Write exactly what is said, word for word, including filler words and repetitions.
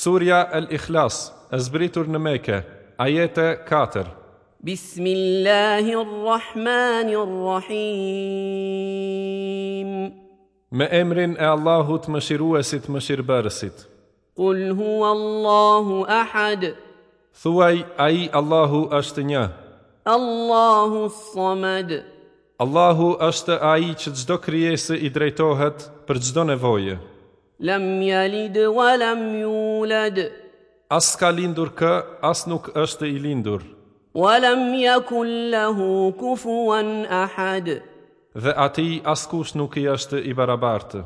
Surja El-Ikhlas, e zbritur në Mekë, ajete katër. بسم الله الرحمن الرحيم. Me emrin e Allahut mëshiruesit mëshirbërësit. قل هو الله أحد. Thuaj, ai Allahu është një. الله الصمد. Allahu është ai që çdo krijesë i drejtohet për çdo nevojë. لم يلد ولم يولد. As ka lindur kë, as nuk është i lindur. ولم يكن له كفوا أحد. Dhe atij askush nuk i është i barabartë.